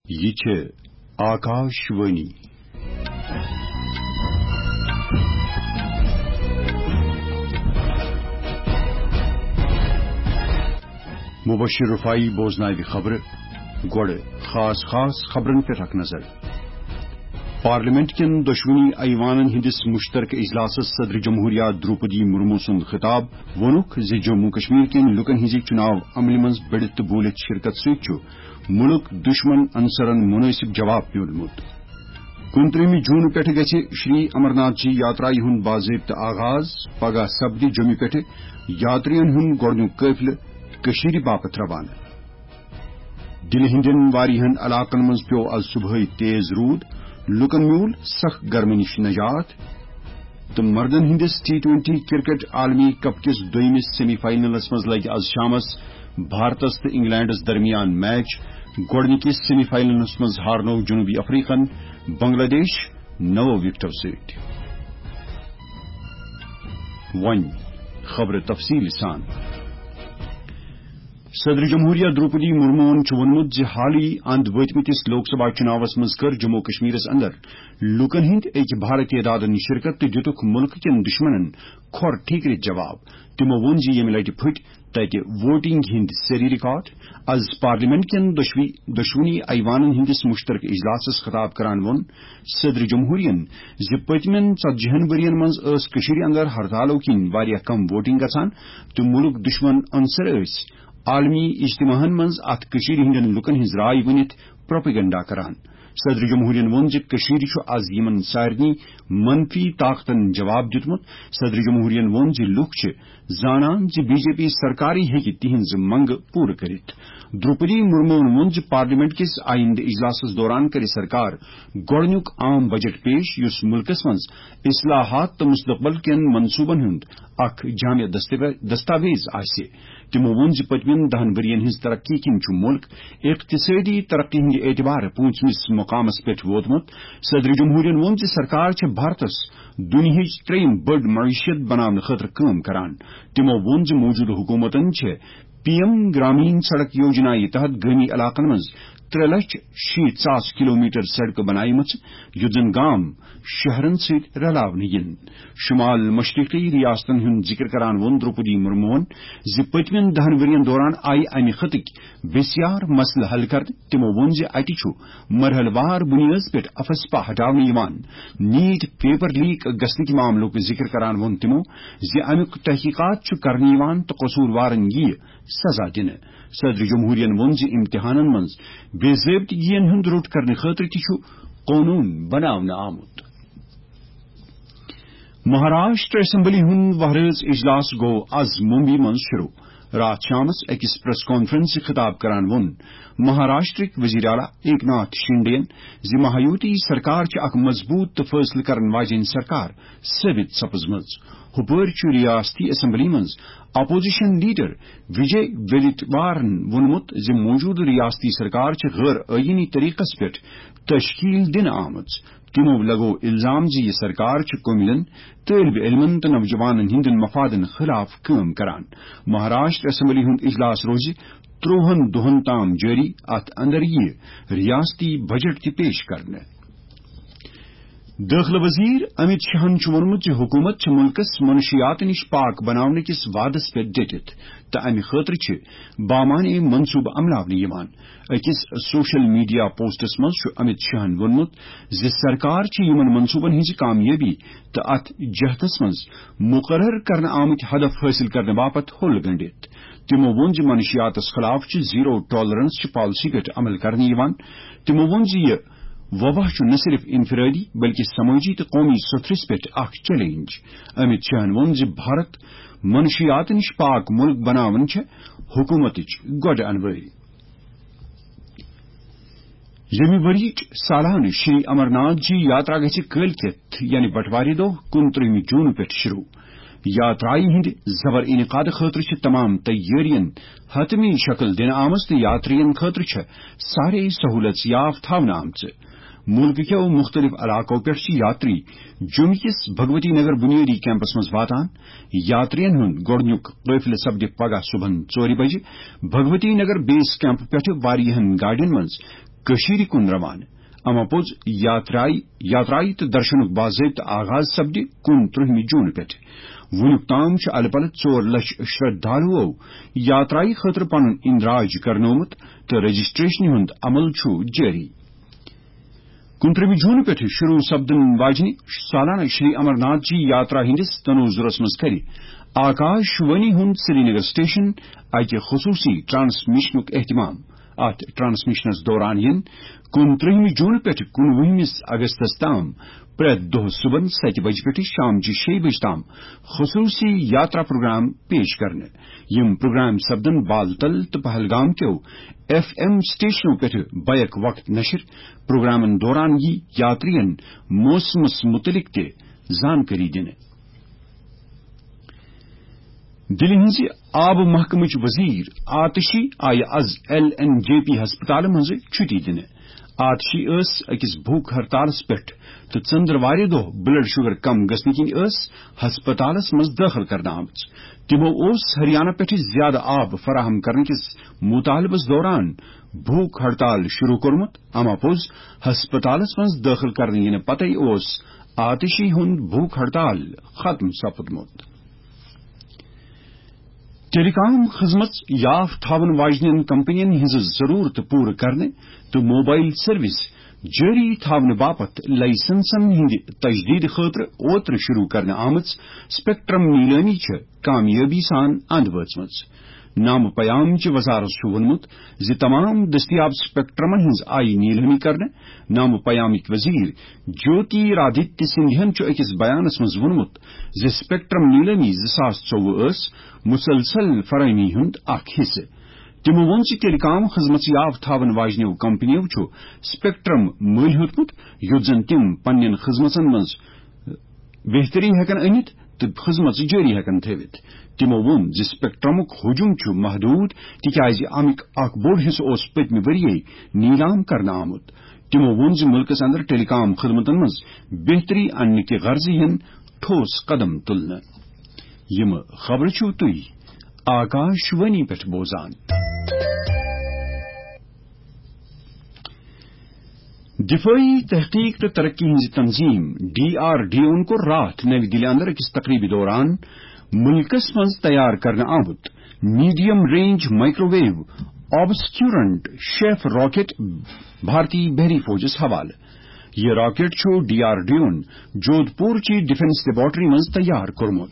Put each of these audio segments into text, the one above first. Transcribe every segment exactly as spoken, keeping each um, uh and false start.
یہِ چھِ آکاش وانی۔ مبشر رفاعی بوزناوِ خبرٕ۔ گۄڈٕ خاص خاص خبرن پٮ۪ٹھ اکھ نظر۔ پارلیمنٹ کٮ۪ن دۄشوٕنی ایوانن ہٕنٛدِس مشترکہٕ اجلاسس صدر جمہوریہ دروپدی مرمو سُنٛد خطاب۔ ووٚنُکھ زِ جموں کشمیر کٮ۪ن لوٗکن ہٕنٛزِ چُناو عملہِ منٛز بٔڑِتھ تہٕ بوٗلِتھ شرکت سۭتۍ چھُ مُلک دُشمن عنصرن مُنٲسِب جواب میوٗلمُت۔ کُنترٛہمہِ جوٗن پٮ۪ٹھٕ گژھِ شری امرناتھ جی یاترایہِ ہُنٛد باضٲبطہٕ آغاز۔ پگاہ سپدِ جوٚمہِ پٮ۪ٹھٕ یاترین ہُنٛد گۄڈٕنیُک قٲفلہٕ کٔشیٖرِ باپتھ روانہٕ۔ دِلہِ ہٕنٛدٮ۪ن واریاہن علاقن منٛز پیوٚو از صبحٲے تیز روٗد، لوٗکن میوٗل سخ گرمی نِش نجات۔ تہٕ مردن ہٕنٛدِس ٹی ٹوینٹی کرکٹ عالمی کپ کِس دوٚیمِس سیمی فاینلس منٛز لگہِ از شامس بھارتس تہٕ انگلینڈس درمیان میچ۔ گۄڈٕنِکِس سیمی فاینلس منٛز ہارنوو جنوبی افریقن بنگلہ دیش نَو وِکٹو سۭتۍ۔ وۄنۍ خبرٕ تفصیٖل سان۔ صدر جمہوریہ دروپدی مرموہن چھُ ووٚنمُت زِ حالٕے اند وٲتمٕتِس لوک سبھا چُناوس منٛز کٔر جموں کشمیرس اندر لوٗکن ہٕنٛدۍ اکہِ بھارٕ تعدادن شرکت تہٕ دِتُکھ مُلکہٕ کٮ۪ن دُشمنن کھۄر ٹھیکرِتھ جواب۔ تِمو ووٚن زِ ییٚمہِ لٹہِ پھٕٹۍ تتہِ ووٹنگ ہٕنٛدۍ سٲری ریکارڈ۔ از پارلیمنٹ کٮ۪ن دۄشوٕے، دۄشوٕنی ایوانن ہٕنٛدِس مشترکہٕ اجلاسس خطاب کران ووٚن صدر جمہوریہن زِ پٔتمٮ۪ن ژتجی ہن ؤرین منٛز ٲس کٔشیٖرِ اندر ہرتالو کِنۍ واریاہ کم ووٹنگ گژھان تہٕ مُلک دُشمن عنصر ٲسۍ عالمی اجتماعن منٛز اتھ کٔشیٖرِ ہٕنٛدٮ۪ن لوٗکن ہٕنٛز راے ؤنِتھ پروپیگنڈا کران۔ صدر جمہوریہن ووٚن زِ کٔشیٖرِ چھُ از یِمن سارنٕے منفی طاقتن جواب دیُتمُت۔ صدر جمہوریہن ووٚن زِ لوٗکھ چھِ زانان زِ بی جے پی سرکارٕے ہیٚکہِ تِہنٛز منٛگہٕ پوٗرٕ کٔرِتھ۔ دروپدی مرموہن ووٚن زِ پارلیمنٹ کِس آیندٕ اجلاسس دوران کرِ سرکار گۄڈٕنیُک عام بجٹ پیش، یُس مُلکس منٛز اصلاحات تہٕ مستقبل کٮ۪ن منصوبن ہُنٛد اکھ جامع دستاویز، دستاویز آسہِ۔ تِمو ووٚن زِ پٔتمٮ۪ن دَہَن ؤرین ہٕنٛز ترقی کِنۍ چھُ مُلک اقتصٲدی ترقی ہٕنٛدِ اعتبارٕ پوٗنٛژمِس مقامس پٮ۪ٹھ ووتمُت۔ صدر جمہوریہن ووٚن زِ سرکار چھےٚ بھارتس دُنیاہٕچ ترٛیٚیِم بٔڑ معیشت بناونہٕ خٲطرٕ کٲم کران۔ تِمو ووٚن زِ موٗجوٗدٕ حکوٗمتن چھےٚ پی ایم گرامین سڑک یوجنا یہِ تحت گٲمی علاقن منٛز ترٛےٚ لچھ شیٖتھ ساس کلومیٹر سڑکہٕ بنایمژٕ، یُتھ زن گام شہرن سۭتۍ رلاونہٕ یِن۔ شمال مشرقی ریاستن ہُنٛد ذکر کران ووٚن دروپدی مرموہن زِ پٔتمٮ۪ن دَہَن ؤرین دوران آیہِ امہِ خطٕکۍ بسیار مسلہٕ حل کرنہٕ۔ تِمو ووٚن زِ اتہِ چھُ مرحلہٕ وار بُنیٲدس پٮ۪ٹھ افسپا ہٹاونہٕ یِوان، نیٹ پیپر لیک گژھنٕکۍ معاملُک ذکر کران ووٚن تِمو زِ امیُک تحقیقات چھُ کرنہٕ یِوان تہٕ قصوٗروارن یِیہِ سزا دِنہٕ۔ صدر جمہوریہن ووٚن زِ امتحانن منٛز بے ضٲبطگین ہُنٛد روٚٹ کرنہٕ خٲطرٕ تہِ چھُ قونوٗن بناونہٕ آمُت۔ مہاراشٹر اسمبلی ہُنٛد وۄہرٲژ اجلاس گوٚو از ممبئی منٛز شروع۔ راتھ شامس أکِس پریس کانفرنسہِ خطاب کران ووٚن مہاراشٹرٕکۍ وزیر اعلیٰ ایک ناتھ شنڈے ین زِ مہایوتی سرکار چھِ اکھ مضبوٗط تہٕ فٲصلہٕ کرن واجیٚنۍ سرکار ثٲبت سپٕزمٕژ۔ ہُپٲرۍ چھُ ریاستی اسمبلی منٛز اپوزیشن لیڈر وجے ویلیتوارن ووٚنمُت زِ موٗجوٗدٕ ریاستی سرکار چھِ غٲر آئینی طریقس پٮ۪ٹھ تشکیل دِنہٕ آمٕژ۔ تِمو لگوو الزام زِ یہِ سرکار چھِ قومیلن، طٲلب علمن تہٕ نوجوانن ہٕنٛدٮ۪ن مفادن خلاف کٲم کران۔ مہاراشٹر اسمبلی ہُنٛد اجلاس روزِ ترٛوہن دۄہن تام جٲری۔ اتھ اندر یِیہِ ریاستی بجٹ تہِ پیش کرنہٕ۔ دٲخلہٕ وزیر امت شاہن چھُ ووٚنمُت زِ حکوٗمت چھِ مُلکس منشیات نِش پاک بناونہٕ کِس وعدس پٮ۪ٹھ ڈٔٹِتھ تہٕ امہِ خٲطرٕ چھِ بامعنی منصوبہٕ عملاونہٕ یِوان۔ أکِس سوشل میڈیا پوسٹس منٛز چھُ امت شاہن ووٚنمُت زِ سرکار چھِ یِمن منصوبن ہٕنٛزِ کامیٲبی تہٕ اتھ جہتس منٛز مقرر کرنہٕ آمٕتۍ ہدف حٲصِل کرنہٕ باپتھ ہوٚل گنٛڈِتھ۔ تِمو ووٚن زِ منشیاتس خلاف چھِ زیرو ٹالرنس چہِ پالیسی پٮ۪ٹھ عمل کرنہٕ یِوان۔ تِمو ووٚن زِ یہِ وبا چھُ نہ صرف انفرادی بلکہِ سمٲجی تہٕ قومی سوٚتھرِس پٮ۪ٹھ اکھ چیلنج۔ امت شاہن ووٚن زِ بھارت منشیات نِش پاک مُلک بناوُن چھےٚ حکوٗمتٕچ گۄڈٕ انوٲری۔ ییٚمہِ ؤریِچ سالانہٕ شری امرناتھ جی یاترا گژھِ کٲلۍ کٮ۪تھ، یعنی بٹوارِ دۄہ، کُنترٛہمہِ جوٗن پٮ۪ٹھ شروع۔ یاترایہِ ہٕنٛدِ زبر انعقاد خٲطرٕ چھِ تمام تیٲرین حتمی شکل دِنہٕ آمٕژ تہٕ یاترین خٲطرٕ چھےٚ سارے سہوٗلژ یاف تھاونہٕ آمژٕ۔ مُلکہٕ کٮ۪و مُختٔلِف علاقو پٮ۪ٹھ چھِ یاتری جوٚم کِس بھگوتی نگر بُنیٲدی کیمپس منٛز واتان۔ یاترین ہُنٛد گۄڈٕنیُک قٲفلہٕ سپدِ پگاہ صُبحن ژورِ بجہِ بھگوتی نگر بیس کیمپ پٮ۪ٹھٕ واریاہن گاڑٮ۪ن منٛز کٔشیٖرِ کُن روانہٕ۔ اما پوٚز یاترایہِ، یاترایہِ تہٕ درشنُک باضٲبطہٕ آغاز سپدِ کُنترٕہمہِ جوٗنہٕ پٮ۪ٹھ۔ وُنیُک تام چھُ الہٕ پلہٕ ژور لچھ شرٛدھالوٗو یاترایہِ خٲطرٕ پنُن اندراج کرنومُت تہٕ رجسٹریشنہِ ہُنٛد عمل چھُ جٲری۔ کُنترٕہمہِ جوٗنہٕ پٮ۪ٹھٕ شروٗع سپدن واجنہِ سالانہ شری امرناتھ جی یاترا ہٕنٛدِس تنوظرس منٛز کرِ آکاش وانی ہُنٛد سرینگر سٹیشن اکہِ خصوٗصی ٹرانسمیشنُک اہتمام۔ اتھ ٹرانسمیشنس دوران یِن کُنترٕہمہِ جوٗنہٕ پٮ۪ٹھٕ کُنوُہمِس اگستس تام پرٛٮ۪تھ دۄہ صُبحن ستہِ بجہِ پٮ۪ٹھٕ شامچہِ شیٚیہِ بجہِ تام خصوٗصی یاترا پروگرام پیش کرنہٕ۔ یِم پروگرام سپدن بالتل تہٕ پہلگام کیو ایف ایم سٹیشنو پٮ۪ٹھٕ بیک وقت نشر۔ پروگرامن دوران یی یاترین موسمس متعلق تہِ زانکٲری دِنہٕ۔ دِلہِ ہٕنٛزِ آبہٕ محکمٕچ وزیر آتشی آیہِ از ایل این جے پی ہسپتالہٕ منٛزٕ چھُٹی دِنہٕ۔ آتشی ٲس أکِس بھوک ہڑتالس پٮ۪ٹھ تہٕ ژٔنٛدٕروارِ دۄہ بلڈ شوگر کم گژھنہٕ کِنۍ ٲس ہسپتالس منٛز دٲخل کرنہٕ آمٕژ۔ تِمو اوس ہریانہ پٮ۪ٹھٕ زیادٕ آب فراہم کرنہٕ کِس مطالبس دوران بھوک ہڑتال شروع کوٚرمُت۔ اما پوٚز ہسپتالس منٛز دٲخل کرنہٕ یِنہٕ پتے اوس آتشی ہُنٛد بھوک ہڑتال ختم سپُدمُت۔ ٹیلی کام خدمت یاف تھاون واجنٮ۪ن کمپنین ہٕنٛز ضرورت پوٗرٕ کرنہٕ تہٕ موبایل سروس جٲری تھاونہٕ باپتھ لائسنسن ہٕنٛدِ تجدید خٲطرٕ اوترٕ شروع کرنہٕ آمٕژ سپیکٹرم نیلٲمی چھِ کامیٲبی سان اند وٲژمٕژ۔ نامہٕ پیام چہِ وزارت چھُ ووٚنمُت زِ تمام دٔستیاب سپیکٹرمن ہٕنٛز آیہِ نیلٲمی کرنہٕ۔ نامہٕ پیامٕکۍ وزیر جیوتی رادتیہ سندھین چھُ أکِس بیانس منٛز ووٚنمُت زِ سپیکٹرم نیلٲمی زٕ ساس ژوٚوُہ ٲس مسلسل فراہمی ہُنٛد اکھ حصہٕ۔ تِمو ووٚن زِ ٹیلی کام خدمت یاف تھاون واجنیو کمپنیو چھُ سپیکٹرم مٔلۍ ہیوٚتمُت، یُتھ زن تِم پننٮ۪ن خدمژن منٛز بہتری ہٮ۪کن أنِتھ تہٕ خدمژ جٲری ہٮ۪کن تھٲوِتھ۔ تِمو ووٚن زِ سپیکٹرمُک ہجوم چھُ محدود، تِکیازِ امیُک اکھ بوٚڑ حصہٕ اوس پٔتمہِ ؤرۍ یے نیلام کرنہٕ آمُت۔ تِمو ووٚن زِ مُلکَس اندر ٹیلی کام خدمتن منٛز بہتری اننہٕ کہِ غرضہٕ یِن ٹھوس قدم تُلنہٕ۔ یِم خبرٕ چھِو تُہۍ آکاش وانی پٮ۪ٹھ بوزان۔ دفٲعی تحقیق تہٕ ترقی ہٕنٛز تنظیم ڈی آر ڈی اوَن کوٚر راتھ نَوِ دِلہِ اندر أکِس تقریبہِ دوران مُلکَس منٛز تیار کرنہٕ آمُت medium range microwave obscurant chaff rocket بھارتی بحری فوجَس حوالہٕ۔ یہِ راکٹ چھُ ڈی آر ڈی اوَن جودھ پور چہِ ڈیفنس لیبارٹری منٛز تیار کوٚرمُت۔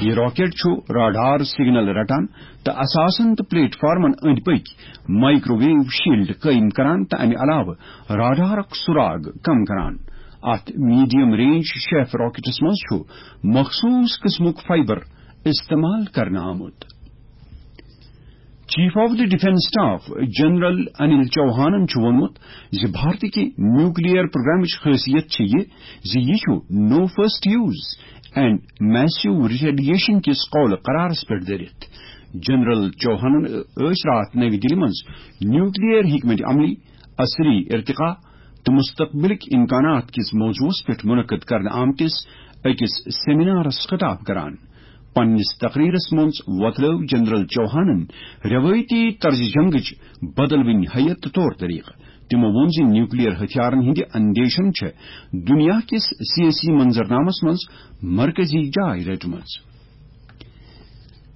یہِ راکٹ چھُ راڈار سگنل رٹان تہٕ اثاثن تہٕ پلیٹ فارمن أنٛدۍ پٔکۍ مائیکرو ویو شیلڈ قٲیِم کران تہٕ امہِ علاوٕ راڈارُک سراغ کم کران۔ اتھ میڈیم رینج شیف راکٹس منٛز چھُ مخصوص قٕسمُک فائبر استعمال کرنہٕ آمُت۔ Chief of the defence staff general Anil چوہانن چھُ ووٚنمُت زِ بھارتٕکہِ نیوکلیئر پروگرامٕچ خٲصیت چھِ یہِ زِ یہِ چھُ no first use and massive retaliation کِس قول قرارس پٮ۪ٹھ دٔرِتھ۔ جنرل چوہانن ٲسۍ راتھ نَوِ دِلہِ منٛز نیوکلیئر حکمت عملی، عصری ارتقا تہٕ مستقبلٕکۍ امکانات کِس موضوعس پٮ۪ٹھ منعقد کرنہٕ آمتِس أکِس سیمینارس خطاب کران۔ پننِس تقریرس منٛز وۄتلٲو جنرل چوہانن روایتی طرز جنگٕچ بدلوٕنۍ ہیئت تہٕ طور طریقہٕ۔ تِمو ووٚن زِ نیوکلیئر ہتھیارن ہٕنٛدِ اندیشن چھِ دُنیا کِس سیٲسی منظرنامس منٛز مرکزی جاے رٔٹمٕژ۔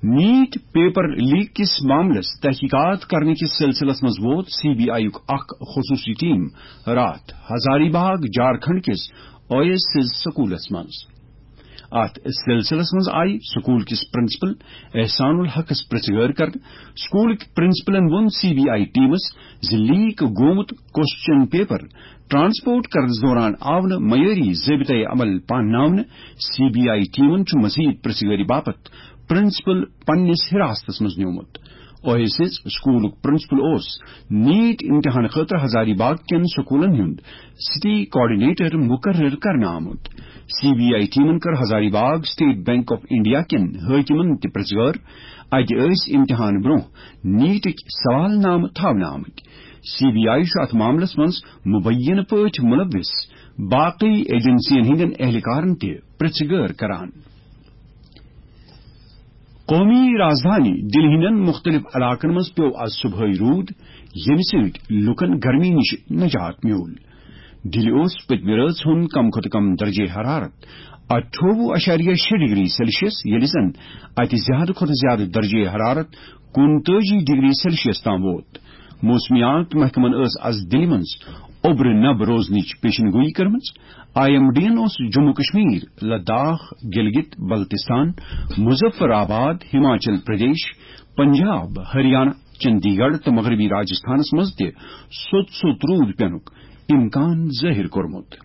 نیٹ پیپر لیک کِس معاملس تحقیقات کرنہٕ کِس سلسلس منٛز ووت سی بی آئی یُک اکھ خصوصی ٹیم راتھ ہزاری باغ جھارکھنڈ کِس او ایس ایس سکولس منٛز۔ اتھ سلسلس منٛز آیہِ سکول کِس پرنسپل احسان الحقس پرژھ گٲر کرنہٕ۔ سکولٕکۍ پرنسپلن ووٚن سی بی آئی ٹیمس زِ لیک گوٚمُت کوسچن پیپر ٹرانسپورٹ کرنس دوران آو نہٕ معیٲری ضٲبطہٕ عمل پانناونہٕ۔ سی بی آئی ٹیمن چھُ مزید پرژھ گٲری باپتھ پرنسپل پننِس حراستس منٛز نیومُت۔ او ایس ایس سکولُک پرنسپل اوس نیٹ امتحان خٲطرٕ ہزاری باغ کٮ۪ن سکولن ہُنٛد سٹی کوآرڈینیٹر مقرر کرنہٕ آمُت۔ سی بی آئی ٹیمن کٔر ہزاری باغ سٹیٹ بینک آف انڈیا کٮ۪ن حٲکمن تہِ پرژھ گٲر۔ اتہِ ٲسۍ امتحان برونٛہہ نیٹٕکۍ سوال نامہٕ تھاونہٕ آمٕتۍ۔ سی بی آئی چھُ اتھ معاملس منٛز مبینہٕ پٲٹھۍ ملوث باقی ایجنسین ہٕنٛدٮ۪ن اہلکارن تہِ پرژھ گٲر کران۔ قومی رازدھانی دِلہِ ہٕنٛدٮ۪ن مُختٔلِف علاقن منٛز پیوٚو از صبحٲے روٗد، ییٚمہِ سۭتۍ لوٗکن گرمی نِش نجات میوٗل۔ دِلہِ اوس پٔتمہِ رٲژ ہُنٛد کم کھۄتہٕ کم درجے حرارت اَٹھووُہ اَشاریہ شےٚ ڈگری سیلسیس، ییٚلہِ زن اَتہِ زیادٕ کھۄتہٕ زیادٕ درجے حرارت کُنتٲجی ڈگری سیلسیس تام ووت۔ موسمیات محکمن ٲس از دِلہِ منٛز اوٚبرٕ نب روزنٕچ پیشن گویی کٔرمٕژ۔ آئی ایم ڈی ین اوس جموں کشمیر، لداخ، گلگت بلتستان، مظفر آباد، ہماچل پردیش، پنجاب، ہریانہ، چندی گڑھ تہٕ مغربی راجستھانس منٛز تہِ سوٚت سوٚت روٗد پینُک امکان ظٲہِر کوٚرمُت۔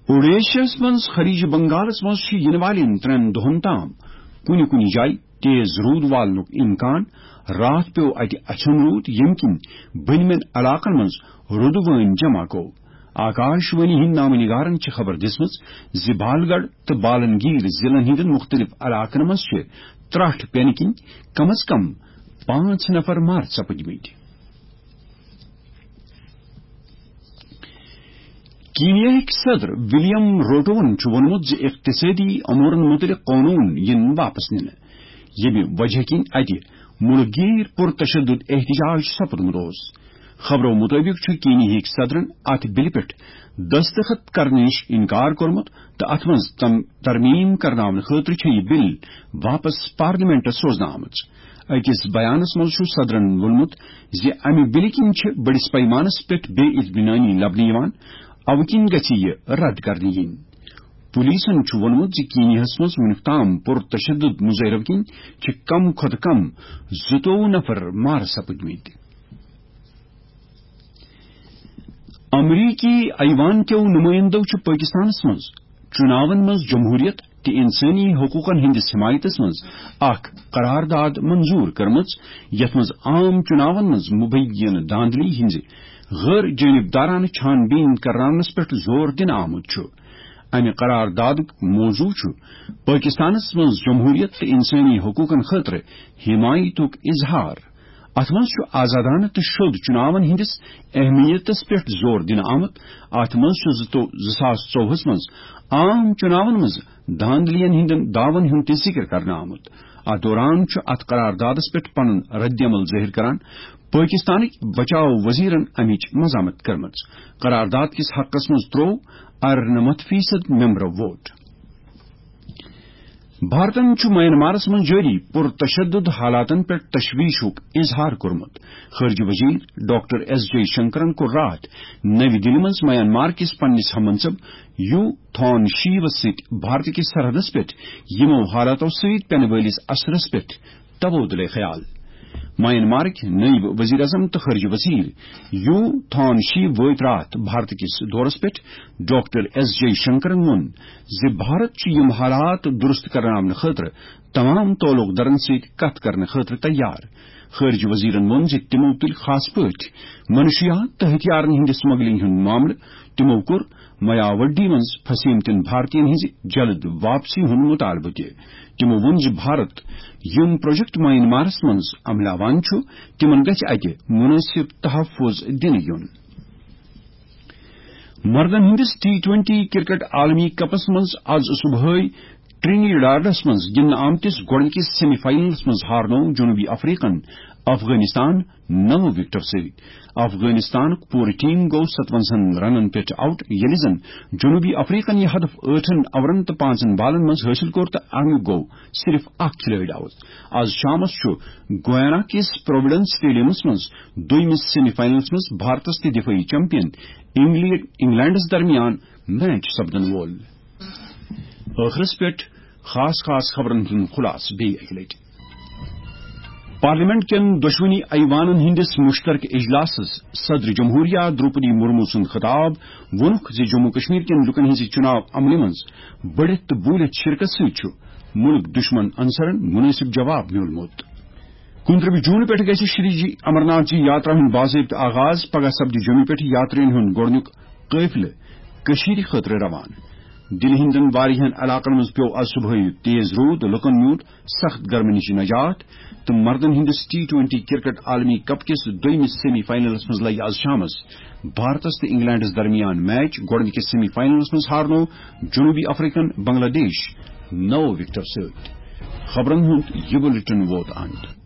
اوڈیشاہس منٛز خلیج بنگالس منٛز چھُ یِنہٕ والٮ۪ن ترٛٮ۪ن دۄہن تام کُنہِ کُنہِ جایہِ تیز روٗد والنُک امکان۔ راتھ پیوٚو اتہِ اچھن روٗد، ییٚمہِ کِنۍ بٔنمٮ۪ن علاقن منٛز روٗدٕ وٲنۍ جمع گوٚو۔ آکاش وانی ہٕنٛدۍ نامہ نگارن چھِ خبر دِژمٕژ زِ بالگڑھ تہٕ بالنگیر ضلعن ہٕنٛدٮ۪ن مُختٔلِف علاقن منٛز چھِ ترٛٹھ پینہٕ کِنۍ کم از کم پانٛژھ نفر مارٕ سپٕدمٕتۍ۔ کینیاہٕکۍ صدر ولیم روٹوہن چھُ ووٚنمُت زِ اقتصٲدی امورن مُتعلق قونوٗن یِن واپس نِنہٕ، ییٚمہِ وجہ کِنۍ اتہِ مُلک گیٖر پُرتشدد احتجاج سپُدمُت اوس۔ خبرو مُطٲبِق چھُ کینیاہٕکۍ صدرن اتھ بلہِ پٮ۪ٹھ دستخط کرنہٕ نِش انکار کوٚرمُت تہٕ اتھ منٛز تم ترمیم کرناونہٕ خٲطرٕ چھےٚ یہِ بل واپس پارلیمنٹس سوزنہٕ آمٕژ۔ أکِس بیانس منٛز چھُ صدرن ووٚنمُت زِ امہِ بلہِ کِنۍ چھِ بٔڑِس پیمانس پٮ۪ٹھ بے اطمینٲنی لبنہٕ یِوان، اوٕ کِنۍ گژھِ یہِ رد کرنہٕ یِنۍ۔ پولیسن چھُ ووٚنمُت زِ کینیاہس منٛز وُنیُک تام پُرتشدد مظٲہرو کِنۍ چھِ کم کھۄتہٕ کم زٕتووُہ نفر مارٕ سپٕدمٕتۍ۔ امریکی ایوان کیو نمائندو چھُ پٲکستانس منٛز چُناون منٛز جمہوریت تہٕ انسٲنی حقوقن ہٕنٛدِس حمایتس منٛز اکھ قرارداد منظور کٔرمٕژ، یتھ منٛز عام چُناون منٛز مبینہٕ دھاندلی ہٕنٛزِ غٲر جانبدارانہٕ چھان بین کرناونس پٮ۪ٹھ زور دِنہٕ آمُت چھُ۔ امہِ قراردادُک موضوع چھُ پٲکستانس منٛز جمہوریت تہٕ انسٲنی حقوقن خٲطرٕ حمایتُک اظہار۔ اتھ منٛز چھُ آزادانہٕ تہٕ شوٚد چُناون ہٕنٛدِس اہمیتس پٮ۪ٹھ زور دِنہٕ آمُت۔ اتھ منٛز چھُ زٕ تو-، زٕ ساس ژوٚوُہس منٛز عام چُناون منٛز دھاندلین ہٕنٛدٮ۪ن دعون ہُنٛد تہِ ذِکر کرنہٕ آمُت۔ اتھ دوران چھُ اتھ قراردادس پٮ۪ٹھ پنُن ردعمل ظٲہِر کران پٲکستانٕکۍ بچاو وزیرن امِچ مذمت کٔرمٕژ۔ قرارداد کِس حقس منٛز تروو ارنمتھ فیصد ممبرو ووٹ۔ بھارتن چھُ میانمارس منٛز جٲری پُرتشدد حالاتن پٮ۪ٹھ تشویشُک اظہار کوٚرمُت۔ خارجہ وزیر ڈاکٹر ایس جے شنکرن کوٚر راتھ نَوِ دِلہِ منٛز میانمار کِس پننِس ہم منصب یو تھون شیوس سۭتۍ بھارت کِس سرحدس پٮ۪ٹھ یِمو حالاتو سۭتۍ پینہٕ وٲلِس اثرس پٮ۪ٹھ تبادلہ خیال۔ میانمارٕکۍ نٲیِب وزیر اعظم تہٕ خارجہ وزیر یو تھون شی وٲتۍ راتھ بھارت کِس دورس پٮ۪ٹھ۔ ڈاکٹر ایس جے شنکرن ووٚن زِ بھارت چھُ یِم حالات درست کرناونہٕ خٲطرٕ تمام تعلق دارن سۭتۍ کتھ کرنہٕ خٲطرٕ تیار۔ خارجہ وزیرن ووٚن زِ تِمو تُلۍ خاص پٲٹھۍ منشیات تہٕ ہتھیارن ہٕنٛدِ سمگلنگ ہُنٛد معاملہٕ۔ تِمو کوٚر میاوڈی منٛز پھسیمتٮ۪ن بھارتین ہٕنٛزِ جلد واپسی ہُنٛد مطالبہٕ تہِ۔ تِمو ووٚن زِ بھارت یِم پروجیکٹ میانمارس منٛز عملاوان چھُ، تِمن گژھِ اتہِ مناسب تحفظ دِنہٕ یُن۔ مردن ہٕنٛدِس ٹی ٹوینٹی کرکٹ عالمی کپس منٛز از صبحٲے ٹرینیڈاڈس منٛز گِنٛدنہٕ آمتِس گۄڈٕنِکِس سیمی فاینلس منٛز ہارنوو جنوبی افریقن افغانستان نو وکٹو سۭتۍ۔ افغانستانُک پوٗرٕ ٹیم گوٚو ستونزہن رنن پٮ۪ٹھ آؤٹ، ییٚلہِ زن جنوبی افریقن یہِ ہدف ٲٹھن اورن تہٕ پانٛژن بالن منٛز حٲصِل کوٚر تہٕ امیُک گوٚو صرف اکھ کھلٲڑۍ آؤٹ۔ از شامس چھُ گویانا کِس پروویڈنس سٹیڈیمس منٛز دوٚیمِس سیمی فاینلس منٛز بھارتس تہٕ دفٲعی چیمپین انگلینڈ، انگلینڈس درمیان میچ سپدن وول۔ ٲخرس پٮ۪ٹھ خاص خاص خبرن ہُنٛد خلاصہٕ بیٚیہِ اکہِ لٹہِ۔ پارلیمنٹ کٮ۪ن دۄشوٕنی ایوانن ہٕنٛدِس مشترکہٕ اجلاسس صدر جمہوریہ درٛوپدی مرمو سُنٛد خطاب۔ ووٚنُکھ زِ جموں کشمیر کٮ۪ن لوٗکن ہٕنٛزِ چُناو عملہِ منٛز بٔڑِتھ تہٕ بوٗلِتھ شرکت سۭتۍ چھُ مُلک دُشمن عنصرن مُنٲسِب جواب میوٗلمُت۔ کُنترٕہ جوٗن پٮ۪ٹھ گژھِ شری جی امرناتھ جی یاترا ہُنٛد باضٲبطہٕ آغاز۔ پگاہ سپدِ جوٚمہِ پٮ۪ٹھ یاترین ہُنٛد گۄڈٕنیُک قٲفلہٕ کٔشیٖرِ خٲطرٕ روانہٕ۔ دِلہِ ہٕنٛدٮ۪ن واریاہن علاقن منٛز پیوٚو از صبحٲے تیز روٗد، لوٗکن میوٗل سخت گرمی نِش نجات تہٕ مردن ہٕنٛدِس ٹی ٹوینٹی کرکٹ عالمی کپ کِس دوٚیمِس سیمی فاینلس منٛز لگہِ از شامس بھارتس تہٕ انگلینڈس درمیان میچ۔ گۄڈٕنِکِس سیمی فاینلس منٛز ہارنوو جنوبی افریقن بنگلہ دیش نو وکٹو سۭتۍ۔ خبرن ہُنٛد یہِ بُلٹن ووت اند۔